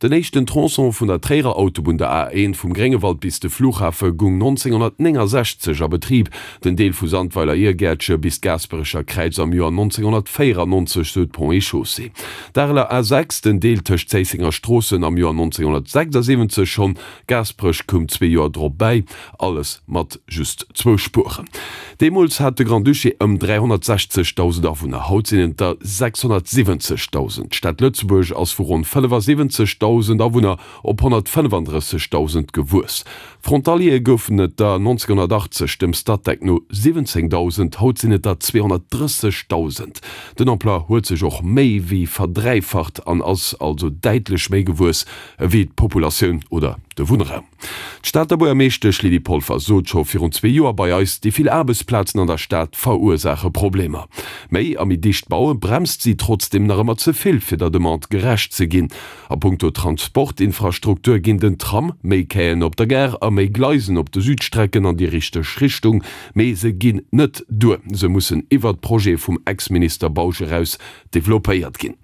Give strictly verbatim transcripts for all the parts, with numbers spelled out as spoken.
Den éischten Tronçon vun der Tréierer Autobunn, der A eent, vum Gréngewald bis de Flughafe goung nonzénghonnertnéngensechzeg a Betrib, den Deel vu Sandweiler-Irgäertche bis d'Gaasperecher Kräiz am Joer nonzénghonnertvéierennonzeg, sou d'Ponts et Chaussées. D'Areler A sechs, den Deel tëscht Zéisseng a Stroossen am Joer nonzénghonnertsechsasiwwenzeg schonn, Gaasperech koum zwee Joer drop bäi, alles mat just zwou Spueren. Deemools hat de Grand-Duché ëm dräihonnertsechzegdausend Awunner, haut sinn et der sechshonnertsiwwenzegdausend. D'Stad Lëtzebuerg ass vu ronn fënnefasiwwenzegdausend Awunner op honnertfënnefandrëssegdausend gewuess. Frontaliere goufen et der nonzénghonnertachtzeg dem Statec no siwwenzéngdausend, haut sinn et der zweehonnertdrëssegdausend. Den Emploi huet sech och méi wéi verdräifacht an ass also däitlech méi gewuess ewéi d'Populatioun oder de Wunnraum. D'Stater Buergermeeschtesch Lydie Polfer sot scho virun zwee Joer bei eis, déi vill Aarbechtsplazen an der Stad verursaache Problemer. Méi a méi dicht baue bremst si trotzdeem nach ëmmer ze vill, fir der Demande gerecht ze ginn. A punkto Transportinfrastruktur ginn den Tram, méi Quaien op der Gare a méi Gleisen op de Südstrecken an déi richteg Richtung, mee se ginn net duer. Se mussen iwwert d'Projete vum Ex-Minister Bausch eraus developpéiert ginn.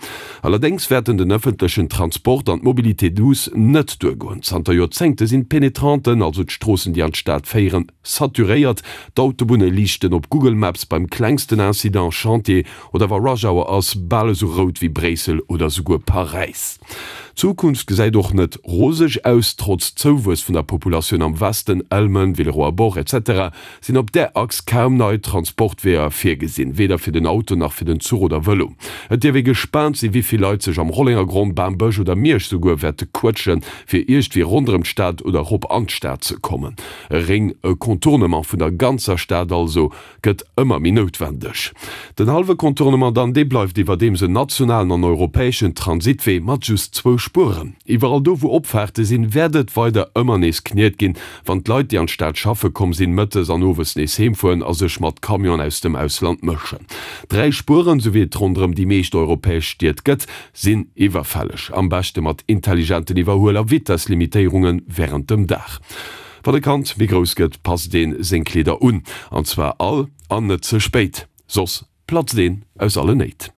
Allerdéngs wäerten den ëffentlechen Transport an d'Mobilité douce net duergoen. Zanter Joerzéngte sinn d'Pénétranten, also d'Stroossen déi an d'Stad féieren, saturéiert. D'Autobunne liichten op Google Maps beim klengsten Incident, Chantier oder wa Rush Hour ass, bal esou rout wéi Bréissel oder souguer Paräis. D'Zukunft gesäit och net roseg aus. Trotz Zouwuess vun der Populatioun am Westen, Elmen, Villeroy-Bourg, etc. Sinn op där Achs kaum nei Transportweeër virgesinn, weder fir den Auto nach fir den Zuch oder Vëlo. Et dierf ee gespaant sinn, wéi vill Leit sech am Rollengergronn, Bambësch oder Miersch souguer wäerte quëtschen, fir iergdwéi ronderëm d'Stad oder erop an d'Stad ze kommen. E Réng, e Contournement vun der ganzer Stad also, gëtt ëmmer méi noutwendeg. Den hallwe Contournement dann, dee bleift iwwerdeems en nationalen an europäeschen Transitwee mat just zwou Spueren. Iwwerall do wou Opfaarte sinn, wäert et weider ëmmer nees kniet ginn, wann d'Leit, déi an d'Stad schaffe komm sinn, mëttes an owes nees heem fueren a sech mat Camionen aus dem Ausland mëschen. Dräi Spueren, sou wéi et ronderëm déi meescht europäesch Stied gëtt, sinn iwwerfälleg. Am beschte mat intelligenten Iwwerhuel a Vitesslimitéierunge wärend dem Dag. Wann e Kand méi grouss gëtt, passt ee seng Kleeder un, an zwar all, an net ze spéit, soss platzt een aus allen Néit.